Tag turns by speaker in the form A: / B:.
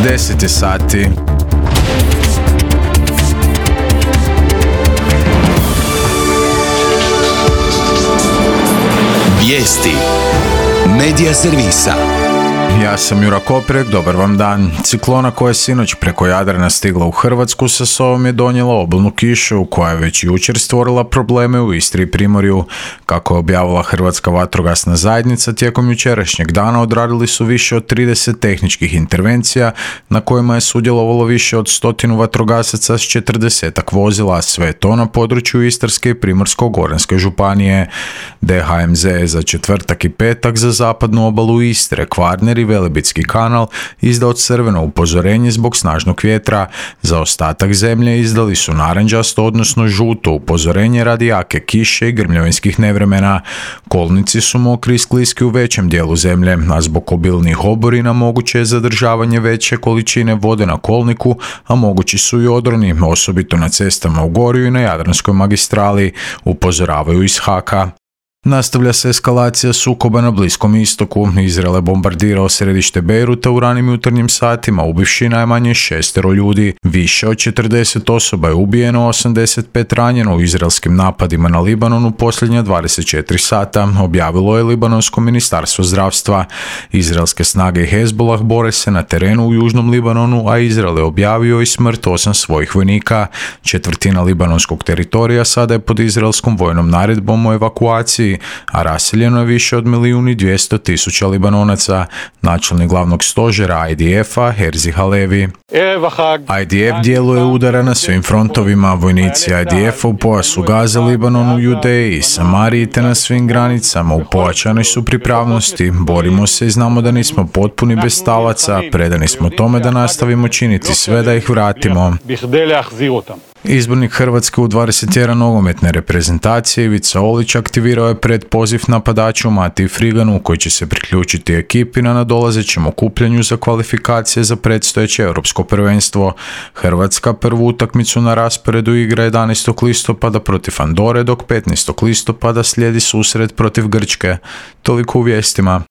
A: 10 sati.
B: Vijesti Medija servisa.
A: Ja sam Jura Koprek, dobar vam dan. Ciklona koja je sinoć preko Jadrana stigla u Hrvatsku sa sobom je donijela obilnu kišu koja je već jučer stvorila probleme u Istri i Primorju. Kako je objavila Hrvatska vatrogasna zajednica, tijekom jučerašnjeg dana odradili su više od 30 tehničkih intervencija na kojima je sudjelovalo više od 100 vatrogasaca s 40 vozila, sve to na području Istarske i Primorsko-goranske županije. DHMZ je za četvrtak i petak za zapadnu obalu Istre, Kvarner i Velebitski kanal izdao crveno upozorenje zbog snažnog vjetra. Za ostatak zemlje izdali su narančasto, odnosno žuto upozorenje radi jake kiše i grmljavinskih nevremena. Kolnici su mokri i skliski u većem dijelu zemlje, a zbog obilnih oborina moguće je zadržavanje veće količine vode na kolniku, a mogući su i odroni, osobito na cestama u Gorju i na Jadranskoj magistrali, upozoravaju iz HAK-a. Nastavlja se eskalacija sukoba na Bliskom istoku. Izrael je bombardirao središte Bejruta u ranim jutarnjim satima, ubivši najmanje 6 ljudi. Više od 40 osoba je ubijeno, 85 ranjeno u izraelskim napadima na Libanon u posljednja 24 sata, objavilo je Libanonsko ministarstvo zdravstva. Izraelske snage i Hezbollah bore se na terenu u južnom Libanonu, a Izrael je objavio i smrt 8 svojih vojnika. Četvrtina libanonskog teritorija sada je pod izraelskom vojnom naredbom o evakuaciji, a raseljeno je više od 1.200.000 Libanonaca. Načelnik glavnog stožera IDF-a Herzi Halevi. IDF djeluje udara na svim frontovima. Vojnici IDF-a u pojasu Gaze, Libanonu, Judeji i Samariji te na svim granicama u pojačanoj su pripravnosti. Borimo se i znamo da nismo potpuni bez talaca. Predani smo tome da nastavimo činiti sve da ih vratimo. Izbornik Hrvatske u 21 nogometne reprezentacije Ivica Olić aktivirao je predpoziv napadaču Matiji Friganu koji će se priključiti ekipi na nadolazećem okupljanju za kvalifikacije za predstojeće europsko prvenstvo. Hrvatska prvu utakmicu na rasporedu igra 11. listopada protiv Andore, dok 15. listopada slijedi susret protiv Grčke. Toliko u vijestima.